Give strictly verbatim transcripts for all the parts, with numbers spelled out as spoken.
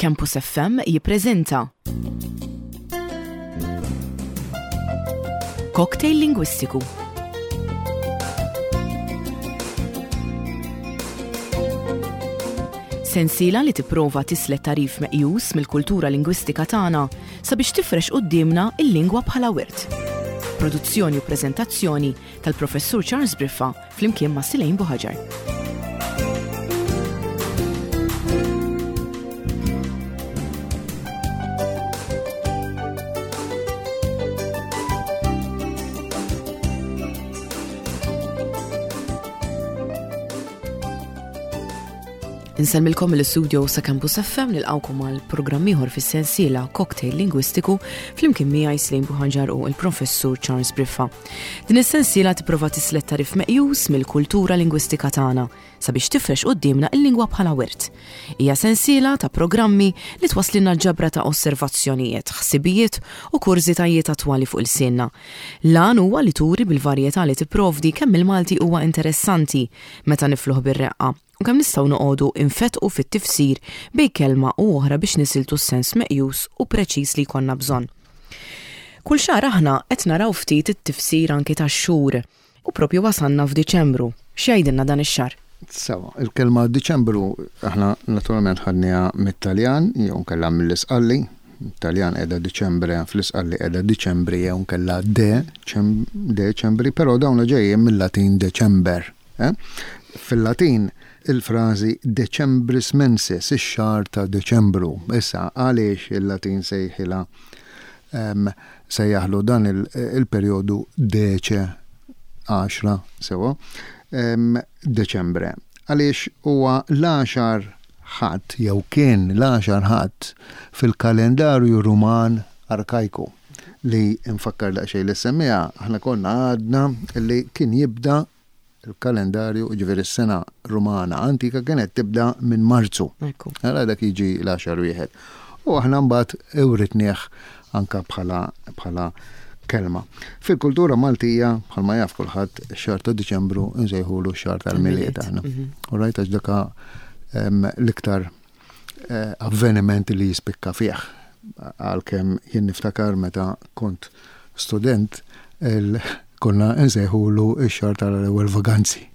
Campus F M jippreżenta Cocktail Lingwistiku. Sensiela li tipprova tislet tagħrif meqjus mill-kultura lingwistika tagħna sabiex tifrex quddiemna il-lingwa bħala wirt. Produzzjoni u preżentazzjoni tal-Professur Charles Briffa flimkien ma' Silejn Buħaġar. Insellmilkom mill-istudio sa' Campus F M, nilqawkom għal programm ieħor fis-sensiela Cocktail Lingwistiku flimkien miegħi Slejn Buħanġar u l-Professur Charles Briffa. Din is-sensiela tipprova tislet tagħrif meqjus mill-kultura lingwistika tagħna sabiex tifrex quddiemna il-lingwa bħala wirt. Hija sensiela ta' programmi li twaslilna ġabra ta' osservazzjonijiet, ħsibijiet u kurżitajiet attwali fuq ilsienna. L-għan huwa li turi bil-varjetà li tipprovdi kemm il-Malti huwa interessanti meta nifluh bir-reqqa u kemm nistgħu noqogħdu infetqu fit-tifsir bejn kelma u oħra biex nisiltu s-sens meqjus u preċiż li jkollna bżonn. Kull xahar aħna qed naraw ftit it-tifsir anki tax-xhur u propju wasalna f'Diċembru. X'jgħidilna dan ix-xahar? Sewa, il-kelma Diċembru aħna naturalment ħadniha mit-Taljan jew nkella mill-Isqalli. Taljan qiegħda Diċembre, fl-Isqalli qiegħda Diċembri jew nkella de Deċembri, però dawn ġejjin mill-Latin December. Eh? Fil-Latin il-frażi Decembris mensis, ix-xahar ta' Deċembru. Issa għaliex il-Latin sejħilha sejjaħlu dan il-perjodu dece għaxra, sewa, Deċembre. Għaliex huwa l-għaxar Ħadd jew kien l-għaxar Ħadd fil-kalendarju Ruman arkajku li nfakkar daqsxejn li semmija aħna konna għadna li kien jibda il-kalendarju, ġifieri s-sena Rumana antika kienet tibda minn Marzu. Għala dak jiġi l-għaxar wieħed. U aħna mbagħad ewritnieh anka bħala bħala kelma. Fil-kultura Maltija, bħalma jaf kulħadd, x-xahar ta' Diċembru nsejħulu x-xahar tal-Milied aħna. Mhm. U rajt għax daka l-iktar eh, avveniment li jispikka fih. Għalkemm jien niftakar meta kont student, konna nsejħulu x-xahar tal-ewwel vaganzi.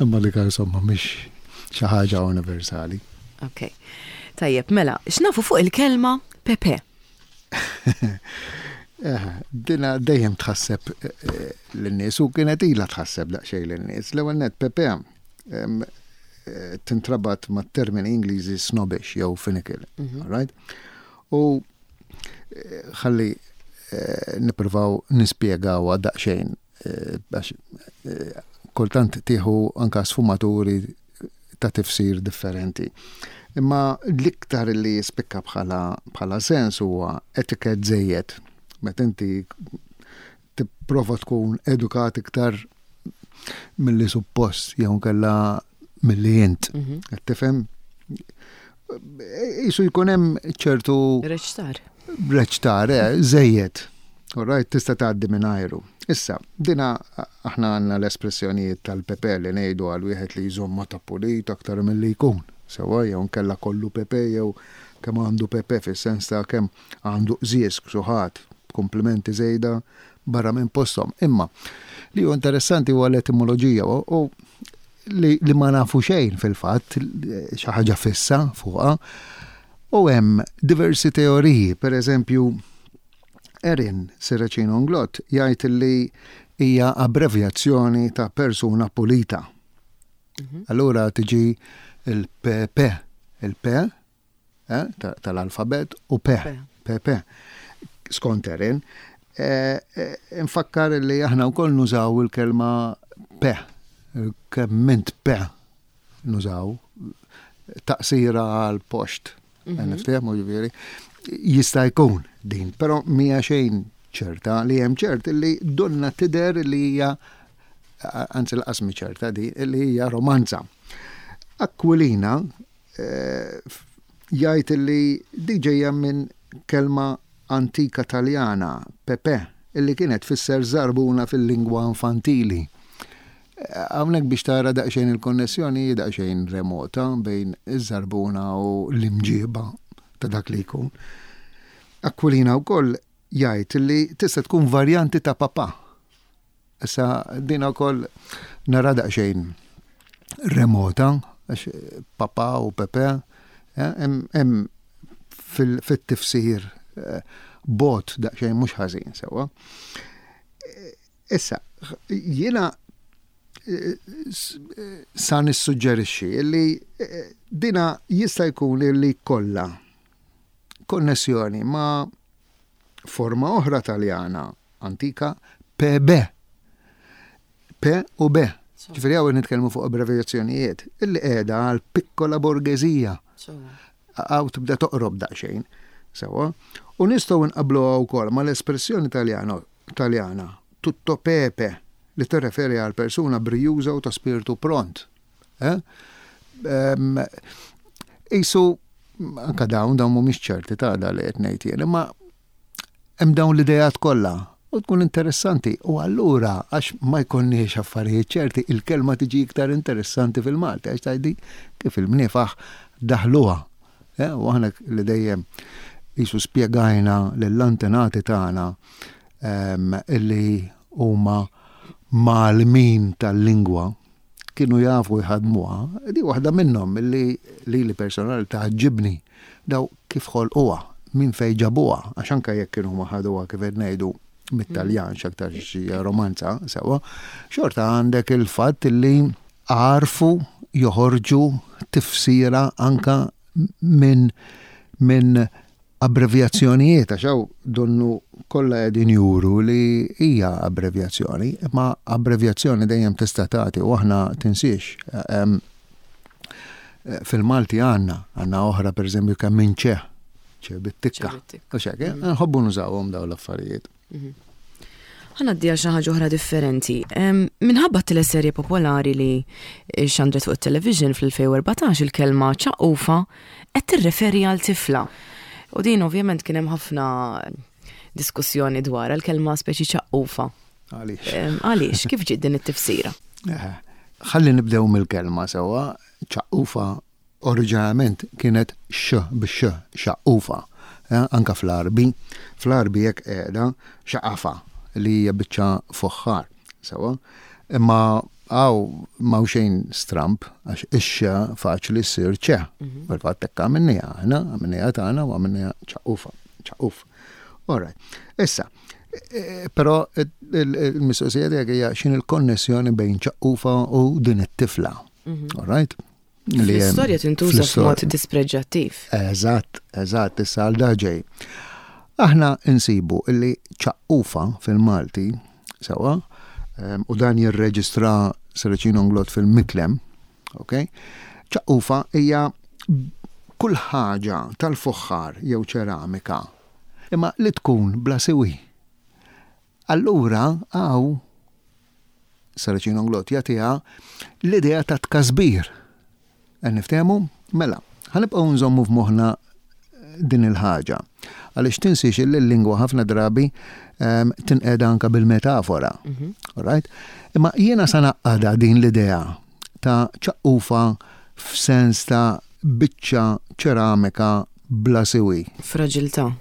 Imma dik insomma mhix xi ħaġa universali. Ok. Tajjeb, mela, x'nafu fuq il-kelma Pepe? Eh, dina dejjem tħasseb eh, lin-nies u kienet ilha tħasseb daqsxejn lin-nies. L-ewwel net Pepe eh, tintrabat mat-termini Ingliżi snobbish jew finical. Mhm. Right? U ħalli nippruvaw nispjegaw daqsxejn għax kultant tieħu anka sfumaturi ta' tifsir differenti. Imma l-iktar li jispikka bħala bħala sens huwa etiket żejjed. Meta inti tipprova tkun edukat iktar milli suppost jew nkella milli int. Mhm. Qed tifhem? Isu jkun hemm ċertu Reċtar. Reċtar, eh, żejjed. All right, tista' tgħaddi minn ajru. Issa, dina aħna għandna l-espressjonijiet tal-pepe li ngħidu għal wieħed li jżomma ta' pulit aktar milli jkun. Sewa jew nkella kollu pepe jew kemm għandu pepe fis-sens ta' kemm għandu qżież ksuħat, komplimenti żejda barra minn posthom. Imma li hu interessanti huwa l-etimoloġija u li, li ma nafu xejn fil-fatt, xi ħaġa fissa fuqha. U hemm diversi teoriji, per eżempju, Erin Serracino Inglott jgħid li hija abbrevjazzjoni ta' persuna pulita. Mhm. Allura tiġi il-P P, il-P eh, tal-alfabet u P, P P. Skont Erin, eh, eh, nfakkar li aħna wkoll nużaw il-kelma P, kemm int P nużaw, taqsira għal post. Mhm. Niftehmu ġifieri. Jista' jkun din, però mija xejn ċerta. Li hemm ċert li donna tidher li hija, anzi l-qasmi ċerta di, li hija romanza. Aquilina eh, jgħid li di ġejja minn kelma antika Taljana, pepe, illi kienet tfisser żarbuna fil-lingwa infantili. Hawnhekk biex tara daqsxejn il-konnessjoni daqsxejn remota bejn iż-żarbuna u l-imġiba ta' dak li jkun. Aquilina wkoll jgħid li tista' tkun varjanti ta' papà. Issa din ukoll nara daqsxejn remota, għax papà u pepe, hemm fil-tifsir bot daqsxejn mhux ħażin sewwa. Issa, jiena sa nissuġġerixxi li dina jista' jkun li kollha konnessjoni ma' forma oħra Taljana antika P B. P u B. Ġifieri hawn nitkellmu fuq abbrevjazzjonijiet illi qiegħda għal piccola borghesìa. Hawn tibda toqrob daqsxejn. Sewwa. U nistgħu nqabluha wkoll mal-espressjoni Taljana Taljana tutto pepe, li tirreferi għal persuna brijuża u ta' spiritu pront. Eh? Isu, anka dawn, dawn mhumiex ċerti ta' da li qed ngħid jien, imma hemm dawn l-idejat kollha u tkun interessanti. U allura, għax ma jkollniex affarijiet ċerti, il-kelma tiġi iktar interessanti fil-Malti, għax tgħidi kif il-mniefaħ daħluha. Eh, u aħna li dejjem jisu spjegajna lill-antenati tagħna illi huma mgħallmin tal-lingwa kienu jafu jħadmuha, di waħda minnhom illi li li personali tgħaġġibni, daw kif ħolquha, minn fejn ġabuha, għax anke jekk kienu ma ħaduha, kif qed ngħidu, mit-Taljan, x'aktar xi romanza, sewwa, xorta għandek il-fatt illi għarfu joħorġu tifsira anka minn min abbrevjazzjonijiet, għax hawn donnu kollha qegħdin juru li hija abbrevjazzjoni, imma abbrevjazzjoni dejjem tista' tagħti, u aħna tinsiex fil-Malti għandna għandna oħra, pereżempju kemm minn ċe, ċe bit-tikka. U xek, mm. nħobbu nużawhom dawn l-affarijiet. Mhm. Ħa ngħaddi għal xi ħaġa oħra differenti. Minħabba teleserje popolari li xandret fuq it-television fl-elfejn u erbatax, il-kelma ċaqqufa qed tirreferi għal tifla. U din ovvjament kien hemm ħafna diskussjoni dwar il-kelma speċi ċaqqufa. Għaliex? Għaliex, kif ġiet din it-tifsira? Ħalli nibdew mill-kelma sewwa. Ċaqqufa oriġinalment kienet x bix xaqqufa. Anka fl-Arbi, fl-Arbi jekk qiegħda xaqafa, li hija biċċa fuħħar. Sewwa. Imma hawn m'hawn xejn stramp, għax ix-xa faċli ssir ċe. Mhm. Fil-fatt hekk għamilniha aħna, għamilniha tagħna u għamilniha ċaqqufa, ċaqquf. All right. Issa, e, però il-mistoqsija tiegħek hija x'in il-konnessjoni bejn ċaqqufa u din it-tifla. Mhm. All right? L-istorja tintuża f'mod dispreġġattiv. Eżatt, eżatt, issa għal ġej. Aħna insibu illi ċaqqufa fil-Malti, sewwa, u dan jirreġistra Serracino Inglott fil-Miklem, ok? Ċaqqufa hija kull ħaġa tal-fuħħar jew ċeramika, imma li tkun bla siwi. Allura, hawn Serracino Inglott jagħtiha l-idea ta' tkasbir. Niftehmu? Mela, ħa nibqgħu nżommu f'moħħna din il-ħaġa. Għaliex tinsiex li l-lingwa ħafna drabi um, tinqeda anka bil-metafora. Mm -hmm. Right? Imma jiena sa ngħaqqadha din l-idea ta' ċaqqufa f'sens ta' biċċa ċeramika bla siwi. Fraġiltà.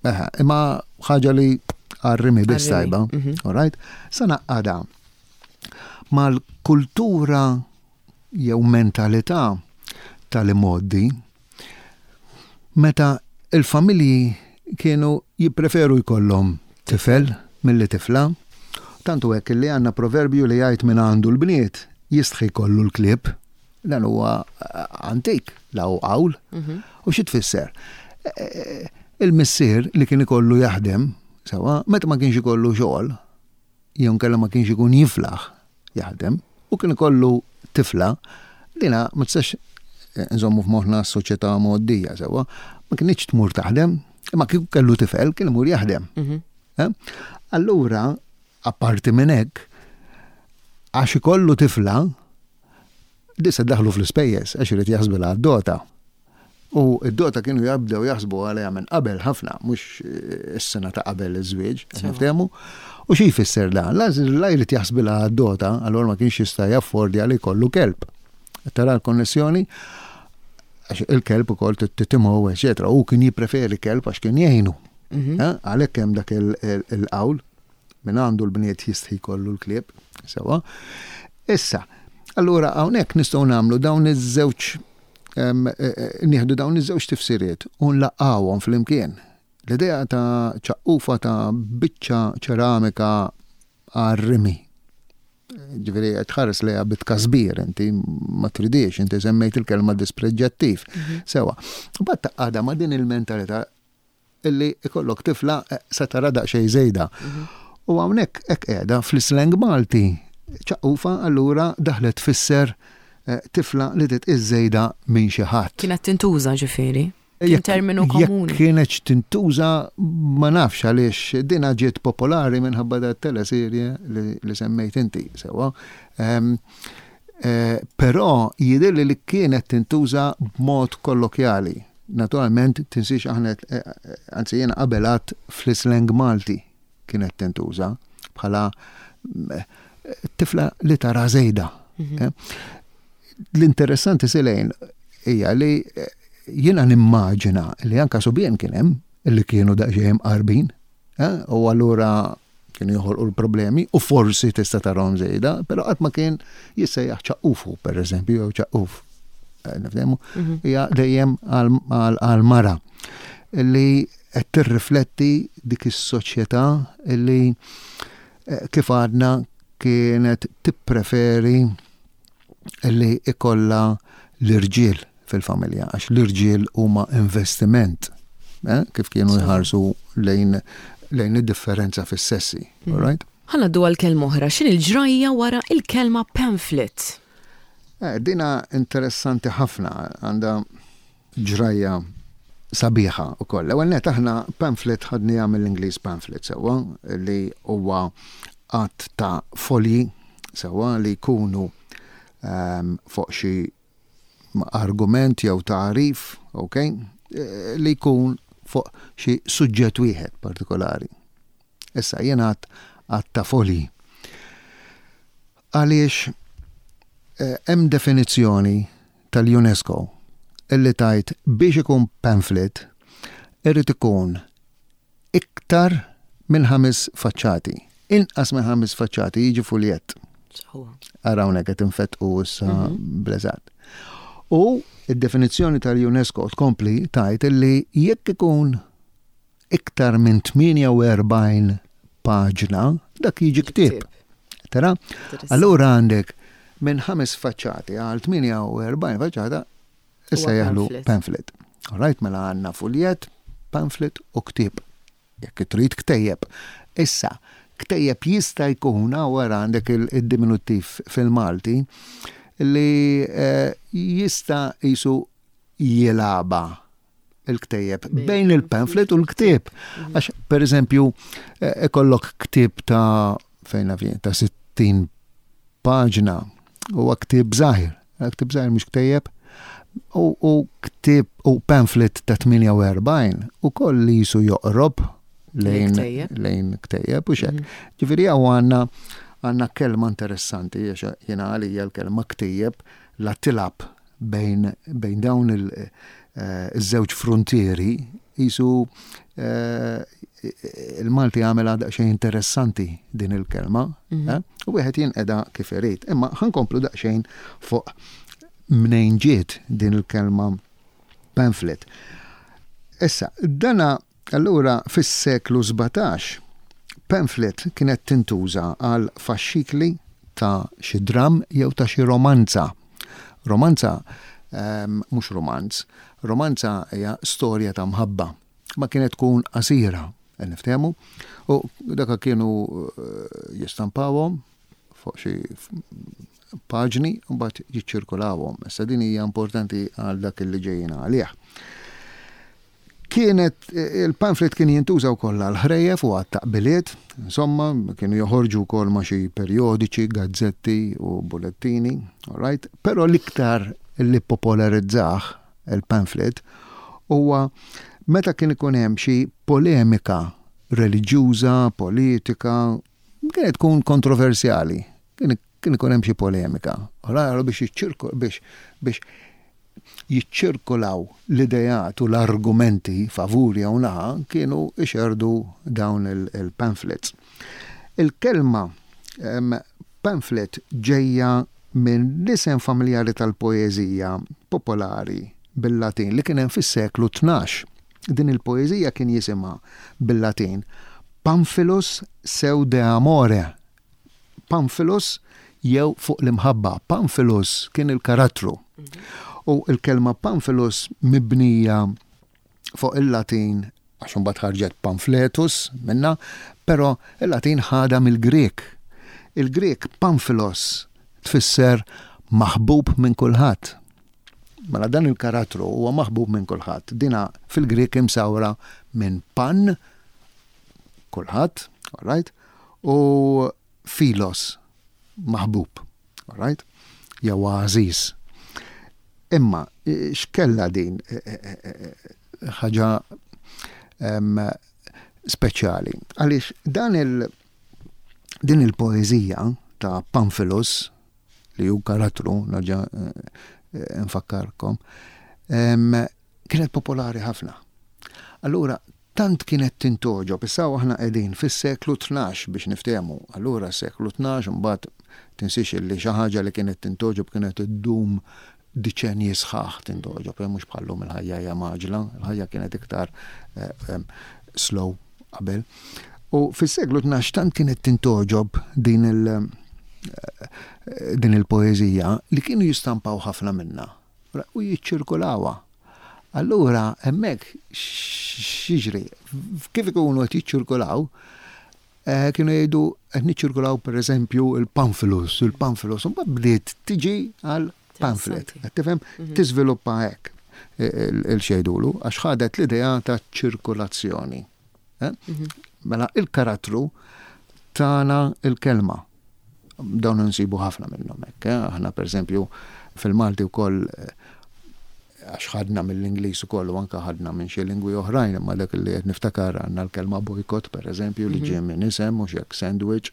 Eħe, imma ħaġa li għar-rimi biss tajba. Mm -hmm. All right? Sa ngħaqqadha mal-kultura jew mentalità tal-imgħoddi meta il-familji kienu jippreferu jkollhom tifel milli tifla. Tantu hekk li għandna proverbju li jgħid "min għandu l-bniet jistħi kollu l-klieb". Dan huwa eh, antik, la hu qawl. Mhm. U xi tfisser? Eh, eh, il-missier li kien ikollu jaħdem, sewwa, meta ma kienx ikollu xogħol, jew nkella ma kienx ikun jiflaħ jaħdem, u kien ikollu tifla, dina ma tistax nżommu f'moħħna s-soċjetà mgħoddija sewwa, ma kienx tmur taħdem, imma kieku kellu tifel kien imur jaħdem. Mhm. Eh? Allura, apparti minn hekk, għax ikollu tifla, disa daħlu fl-ispejjeż għax irid jaħsbilha d-dota. U id-dota kienu jabdew jaħsbu għaliha minn qabel ħafna, mhux is-sena ta' qabel iż-żwieġ, niftehmu. U xi jfisser dan? La jrid jaħsbilha għad-dota, allura ma kienx jista' jaffordja li jkollu kelb. Tara l-konnessjoni? Għax il-kelb ukoll titimgħu, eċetera. U kien jippreferi kelb għax kien jgħinu. Għalhekk hemm dak il-qawl minn għandu l-bniet jistħi kollu l-klieb, sewa. Issa, allura hawnhekk nistgħu nagħmlu dawn iż-żewġ nieħdu dawn iż-żewġ tifsiriet u nlaqqawhom flimkien. L-idea ta' ċaqqufa ta' biċċa ċeramika għar-rimi. Ġifieri qed tħares lejha bit-tkasbir, inti ma tridix, inti semmejt il-kelma dispreġġattiv. Sewa. U mbagħad taqgħadha ma' din il-mentalità illi ikollok tifla sa tara daqsxejn żejda. U hawnhekk hekk qiegħda fl-islang Malti. Ċaqqufa allura daħlet tfisser tifla li titqies żejda minn xi ħadd. Kienet tintuża ġifieri? Kien terminu komuni. Jekk kienet tintuża ma nafx għaliex dina ġiet popolari minħabba da teleserje li semmejt inti, sewa. Però jidhirli li kienet tintuża b'mod kollokjali. Naturalment tinsiex aħna, anzi jiena qabel għad fl-islang Malti kienet tintuża bħala tifla li tara żejda. L-interessanti silejn hija li jiena nimmaġina li anka subien kien hemm li kienu daqsxejn qarbin, u allura kienu joħolqu l-problemi u forsi tista' tarahom żejda, però qatt ma kien jissejjaħ ċaqqufu pereżempju jew ċaqquf. Nifhemu, hija dejjem għal-mara li qed tirrifletti dik is-soċjetà li kif għadna kienet tippreferi li ikolla l-irġiel fil-familja, għax l-irġiel huma investiment, kif kienu jħarsu lejn lejn id-differenza fis-sessi, all right? Ħa ngħaddu għal kelma oħra, x'inhi l-ġrajja wara il-kelma pamphlet? Eh, dina interessanti ħafna, għandha ġrajja sabiħa u koll. Ewwel net aħna pamphlet ħadniha mill-Ingliż pamphlet sewwa li huwa għadd ta' folji sewwa li jkunu um, fuq xi argument jew tagħrif, ok, li jkun fuq xi suġġett wieħed partikolari. Issa jien għadd għadd ta' folji. Għaliex hemm definizzjoni tal-UNESCO illi tajt biex ikun pamphlet irrid ikun iktar minn ħames faċċati. Inqas minn ħames faċċati jiġi fuljett. Ara hawnhekk qed infettqu issa bl-eżatt. U id-definizzjoni tal-UNESCO tkompli tajt illi jekk ikun iktar minn tmienja u erbgħin paġna, dak jiġi ktieb. Tara? Allura għandek minn ħames faċċati għal tmienja u erbgħin faċċata issa jaħlu pamphlet. All right, mela għandna fuljett, pamphlet u ktieb. Jekk trid ktejjeb. Issa, ktejjeb jista' jkun wara għandek il-diminuttiv fil-Malti li jista' jisu jilaba il-ktejjeb bejn il-pamphlet u l-ktieb. Għax, per eżempju, ikollok ktieb ta' fejn ta' sittin paġna huwa ktieb żgħir. Ktieb żgħir mhux ktejjeb. U ktieb u pamphlet ta' tmienja u erbgħin u koll li jisu joqrob lejn lejn ktejjeb u xek. Ġifieri hawn għandna għandna kelma interessanti, għax jiena għalija l-kelma ktejjeb la tilab bejn, bejn dawn il-żewġ frontieri jisu il-Malti għamel daqsxejn interessanti din il-kelma, u wieħed jinqeda kif irid. Imma ħa nkomplu daqsxejn fuq mnejn ġiet din il-kelma pamphlet. Issa, dana allura fis-seklu sbatax pamphlet kienet tintuża għal faxxikli ta' xi dram jew ta' xi romanza. Romanza, mhux romanz, romanza hija storja ta' mħabba. Ma kienet tkun qasira, niftehmu, u daka kienu jistampawhom fuq xi paġni u mbagħad jiċċirkulawhom. Issa din hija importanti għal dak li ġejjin għalih. Kienet, il-pamphlet kien jintuża wkoll għal ħrejjef u għat-taqbiliet, insomma, kienu joħorġu wkoll ma' xi perjodiċi, gazzetti u bullettini, all right? Però l-iktar li popolarizzah il-pamphlet, huwa meta kien ikun hemm xi polemika reliġjuża, politika, kienet tkun kontroversjali, kien kien ikun hemm xi polemika. Ora biex jiċċirku biex biex jiċċirkolaw l-idejat u l-argumenti favuri jew naħa kienu ixerdu dawn il-pamphlets. Il-kelma pamphlet ġejja minn l-isem familjari tal-poeżija popolari bil-Latin li kien hemm fis-seklu tnax. Din il-poeżija kien jisimha bil-Latin Pamphilus seu de amore. Pamphilus jew fuq l-imħabba. Pamphilus kien il-karattru. U il-kelma Pamphilus mibnija fuq il-Latin, għax imbagħad ħarġet pamphletus minna, però il-Latin ħada mill-Grek. Il-Grek Pamphilos tfisser maħbub minn kulħadd. Mela dan il-karattru huwa maħbub minn kulħadd. Dina fil-Grek imsawra minn pan, kulħadd, all right, u filos, maħbub, all right, jew għażiż. Imma x'kella din ħaġa speċjali? Għaliex dan il din il-poeżija ta' Pamphilus, li hu karattru, nerġa' nfakkarkom, kienet popolari ħafna. Allura, tant kienet tintogħġob, issa aħna qegħdin fis-seklu tnax biex niftehmu. Allura seklu tnax, mbagħad tinsiex li xi ħaġa li kienet tintogħġob kienet iddum diċenji sħaħ tintogħġob, mhux bħallum il-ħajja hija maġla, il-ħajja kienet iktar slow qabel. U fis-seklu tnax tant kienet tintogħġob din il- din il-poeżija li kienu jistampaw ħafna minna u jiċċirkulawha. Allura hemmhekk x'jiġri? Kif ikunu qed jiċċirkulaw, kienu jgħidu qed niċċirkulaw pereżempju il-Pamphilus, il-Pamphilus, u mbagħad bdiet tiġi għal pamphlet. Qed tifhem? Tiżviluppa hekk il-xejdulu għax ħadet l-idea ta' ċirkulazzjoni. Mela il-karattru tana il-kelma. Dawn nsibu ħafna minnhom hekk. Aħna pereżempju fil-Malti wkoll, għax ħadna mill-Ingliż ukoll u anke ħadna minn xi lingwi oħrajn, imma dak li qed niftakar għandna l-kelma boycott pereżempju li ġie minn isem mhux hekk sandwich,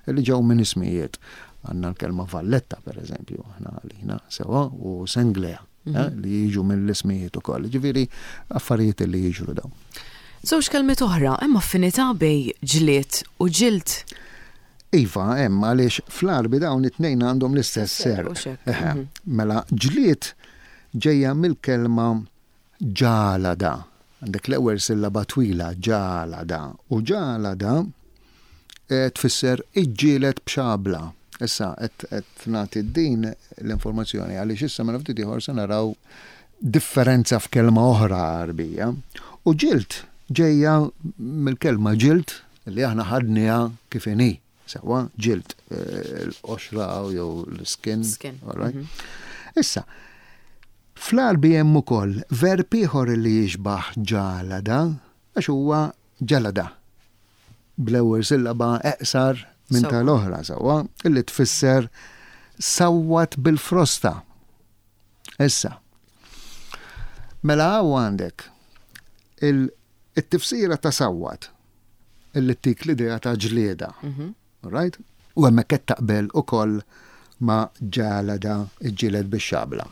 li ġew minn ismijiet. Għandna l-kelma Valletta pereżempju, aħna għalina sewa, u Senglea li jiġu mill-ismijiet ukoll. Ġifieri affarijiet li jiġru dawn. Żewġ kelmiet oħra, hemm affinità bej ġlied u ġild. Iva, hemm, għaliex fl-Għarbi dawn it-tnejn għandhom l-istess serq. Mela ġlied ġejja mill-kelma ġalada. Għandek l-ewwel sillaba twila, ġalada. U ġalada tfisser iġġieled b'xabla. Issa qed nagħti din l-informazzjoni għaliex issa mela ftit ieħor se naraw differenza f'kelma oħra Għarbija. U ġild ġejja mill-kelma ġild li aħna ħadniha kif inhi. Sewa, ġild, l-qoxra jew l-skin. Issa, fl-Għarbi hemm ukoll verb ieħor li jixbaħ ġalada, għax huwa ġalada. Bl-ewwel sillaba eqsar minn tal-oħra, sewwa, illi tfisser sawwat bil-frosta. Issa, mela hawn għandek il-tifsira ta' sawwat illi tik l-idea ta' ġlieda. Right? U hemmhekk qed taqbel ukoll ma' ġalada iġġieled bix-xabla.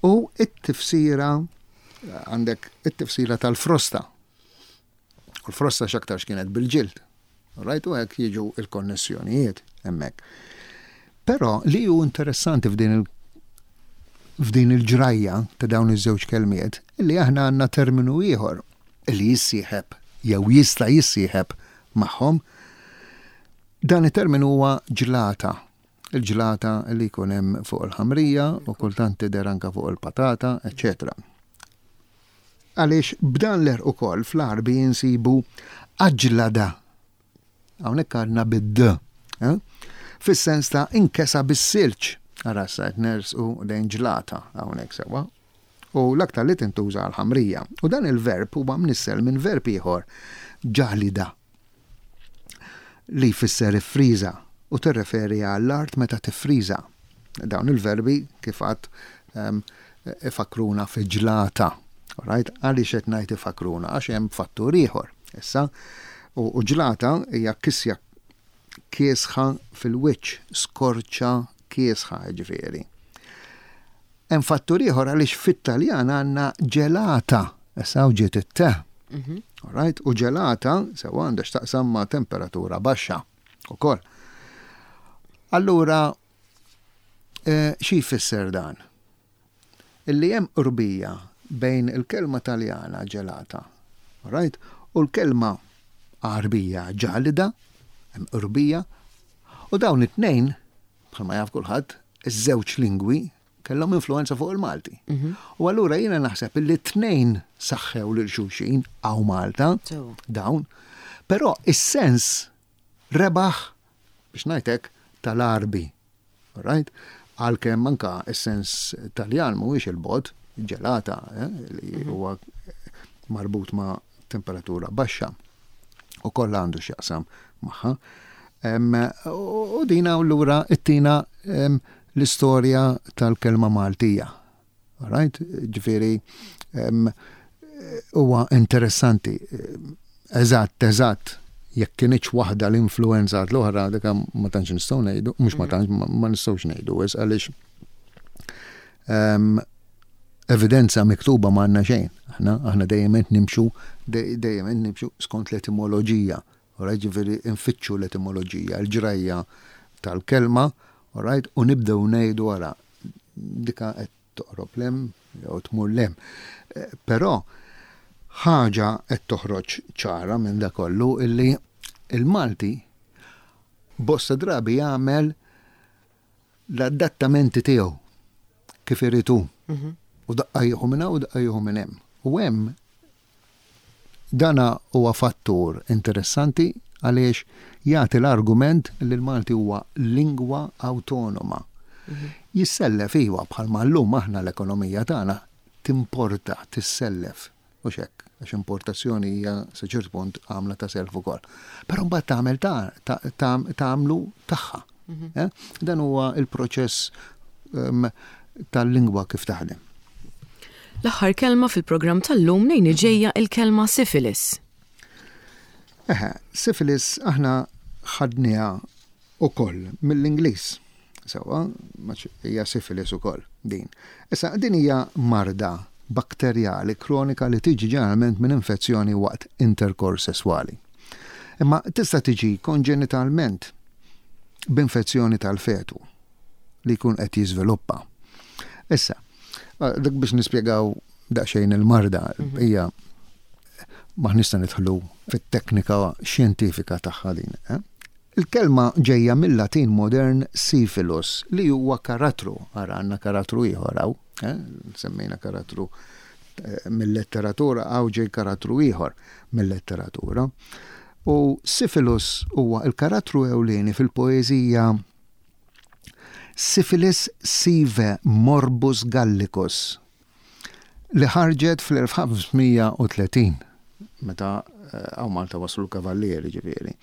U it-tifsira għandek it-tifsira tal-frosta. U l-frosta x'aktarx kienet bil-ġild. Right? U hekk jiġu il-konnessjonijiet hemmhekk. Però li hu interessanti f'din il f'din il-ġrajja ta' dawn iż-żewġ kelmiet, li aħna għandna terminu ieħor li jissieħeb jew jista' jissieħeb magħhom. Dan it-terminu huwa ġlata. Il-ġlata li jkun hemm fuq il-ħamrija u kultant tidher anke fuq il-patata, eċċetera. Għaliex b'dan l-erq ukoll fl-Għarbi jinsibu aġlada. Hawnhekk għandna bid-d, fis-sens ta' inkesa bis-silġ. Ara issa qed nersqu lejn ġlata hawnhekk sewwa. U l-aktar li tintuża għall-ħamrija. U dan il-verb huwa mnissel minn verb ieħor, ġalida, li jfisser iffriża u tirreferi għall-art meta tiffriża. Dawn il-verbi kif għad ifakruna fi ġlata. Right? Għaliex qed ngħid ifakruna? Għax hemm fattur ieħor. Issa, u ġlata hija kisja kiesħa fil-wiċċ, skorċa kiesħa ġifieri. Hemm fattur ieħor għaliex fit-Taljan għandna ġelata, issa u ġiet it-te. Mhm. Right? U ġelata sewa għandha x'taqsam ma' temperatura baxxa ukoll. Allura, eh, xi jfisser dan? Illi hemm qrubija bejn il-kelma Taljana ġelata, right? U l-kelma Għarbija ġalida, hemm qrubija, u dawn it-tnejn, bħalma jaf kulħadd, iż-żewġ lingwi kellhom influenza fuq il-Malti. Mhm. U allura jiena naħseb illi tnejn saħħew lil xulxin hawn Malta, dawn, però is-sens rebaħ biex ngħidlek tal-Għarbi. Right? Għalkemm anka is-sens Taljan mhuwiex il-bogħod, ġelata, eh, li mhm. huwa marbut ma' temperatura baxxa u kollha għandu x'jaqsam magħha. U dina u lura it-tina l-istorja tal-kelma Maltija. Right? Ġifieri, huwa interessanti. Eżatt, eżatt, jekk kinitx waħda l-influenza l-oħra, dik ma tantx nistgħu ngħidu, mhux ma tantx ma nistgħux ngħidu, għaliex evidenza miktuba ma għandna xejn. Aħna aħna dejjem qed nimxu dejjem qed nimxu skont l-etimoloġija. Alright, ġifieri nfittxu l-etimoloġija, l-ġrajja tal-kelma, alright, u nibdew ngħidu wara dika qed toqrob lem jew tmur lem. Eh, però ħaġa qed toħroġ ċara minn da kollu illi il-Malti bosta drabi jagħmel l-adattamenti tiegħu kif irid hu. Mhm. U daqqa jieħu minn hawn u daqqa jieħu minn hemm. U hemm dana huwa fattur interessanti għaliex jagħti l-argument li l-Malti huwa lingwa awtonoma. Mhm. Jissellef iwa bħalma llum aħna l-ekonomija tagħna timporta, tissellef. U xek, għax importazzjoni hija sa ċert punt għamla ta' self ukoll. Però mbagħad tagħmel tagħmlu tagħha. Mhm. Eh? Dan huwa il-proċess ehm, tal-lingwa kif taħdem. L-aħħar kelma fil-programm tal-lum nejn ġejja il-kelma syphilis. Eħe, syphilis aħna ħadniha ukoll mill-Ingliż. Sewa, hija syphilis ukoll din. Issa din hija marda bakterjali kronika li tiġi ġeneralment minn infezzjoni waqt interkors sesswali. Imma tista' tiġi konġenitalment b'infezzjoni tal-fetu li jkun qed jiżviluppa. Issa, dik biex nispjegaw daqsxejn il-marda mhm. hija ma nista' nidħlu fit-teknika xjentifika tagħha din. Eh? Il-kelma ġejja mill-Latin modern syphilus li huwa karattru, ara għandna karattru ieħor hawn, eh? Semmejna karattru eh, mill-letteratura, hawn ġej karattru ieħor mill-letteratura. U syphilus huwa il-karattru ewlieni fil-poeżija Syphilis sive morbus gallicus li ħarġet fl-elf ħames mija u tletin meta hawn Malta waslu l-kavallieri ġifieri.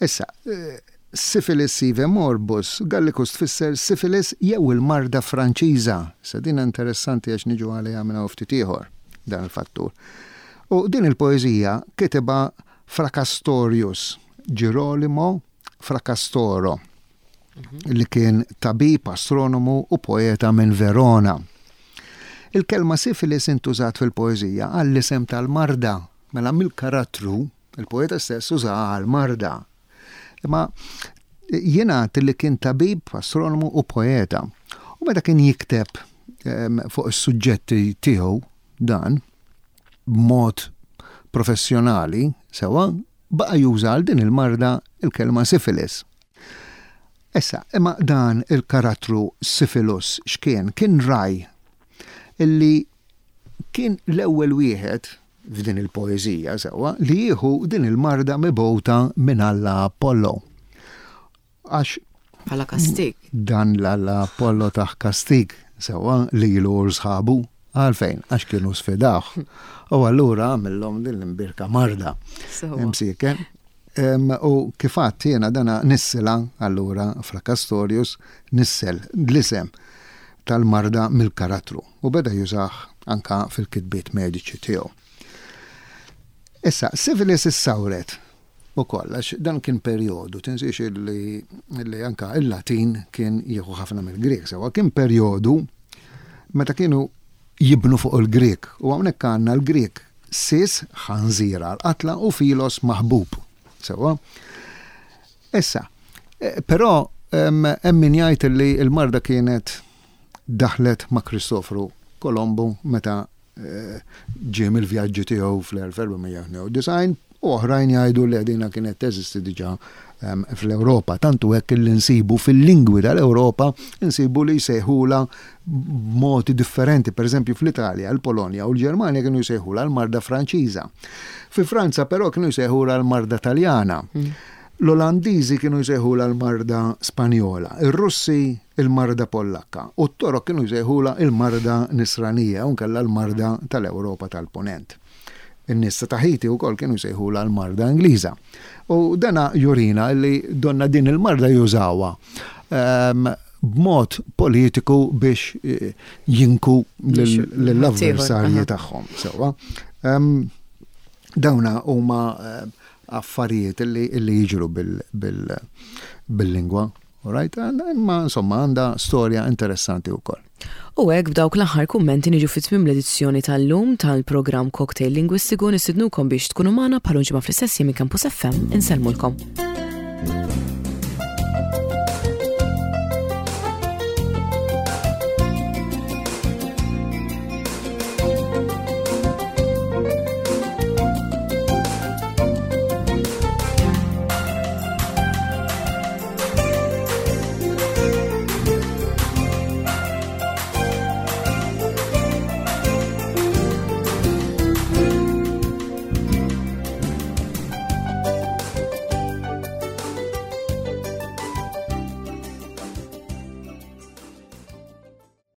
Issa, eh, syphilis sive morbus gallicus tfisser syphilis jew il-marda Franċiża. Issa din interessanti għax niġu għaliha minn ftit ieħor dan il-fattur. U din il-poeżija kitibha Fracastorius, Girolimo Fracastoro, li kien tabib, astronomu u poeta minn Verona. Il-kelma syphilis intużat fil-poeżija għall-isem tal-marda, mela mill-karattru, il-poeta stess uża għal-marda. Imma jingħad li kien tabib, astronomu u poeta. U meta kien jikteb fuq is-suġġetti tiegħu dan b'mod professjonali, sewa, baqa' juża għal din il-marda il-kelma syphilis. Issa, imma dan il-karattru syphilus x'kien? Kien ragħaj illi kien l-ewwel wieħed f'din il-poeżija sewwa li jieħu din il-marda mibgħuta minn Alla Apollo. Għax Bħala kastig. Dan l-Alla Apollo tah kastig sewwa lilu u sħabu għalfejn, għax kienu sfidawh. U allura għamillhom din l-imbirka marda. Imsiken. U kifat jiena dana nissila allura Fracastorius nissel l-isem tal-marda mill-karattru u beda jużah anka fil-kitbiet mediċi tiegħu. Issa, syphilis issawret ukoll, għax dan kien perjodu, tinsiex illi, illi anka il-Latin kien jieħu ħafna mill-Grek, sewwa, kien perjodu meta kienu jibnu fuq il-Grek u hawnhekk għandna l-Grek sis, ħanżira, l-qatla, u filos, maħbub. Sewwa. Issa, eh, però hemm min jgħid li l-marda kienet daħlet ma' Kristofru Kolombu meta eh, ġie mill-vjaġġi tiegħu fl-elf erba' mija u tnejn u disgħin u oħrajn jgħidu li dina kienet teżisti diġà fl-Ewropa. Tantu hekk li nsibu fil-lingwi tal-Ewropa, nsibu li jsejħula b'modi differenti. Per eżempju, fl-Italja, l-Polonja u l-Ġermanja kienu jsejħula l-marda Franċiża. Fi Franza però kienu jsejħula l-marda Taljana. Mm. L-Olandiżi kienu jsejħula l-marda Spanjola, ir-Russi il-marda Pollakka u t-Torok kienu jsejħula il-marda Nisranija u nkella l-marda tal-Ewropa tal-Ponent. In-nies ta' Tahiti wkoll kienu jsejħula l-marda Ingliża. U dana jurina li donna din il-marda jużawha ehm, b'mod politiku biex eh, jinku l-avversarji tagħhom. Sewwa. Ehm, dawna huma eh, affarijiet li jiġru bil-lingwa. Right? Imma insomma għandha storja interessanti wkoll. U hekk, b'dawk l-aħħar kummenti, niġu fi tmiem l-edizzjoni tal-lum tal-programm Cocktail Lingwistiku. Nistidnukom biex tkunu magħna bħal ġimgħa fl-istess minn Campus F M. Insellmulkom.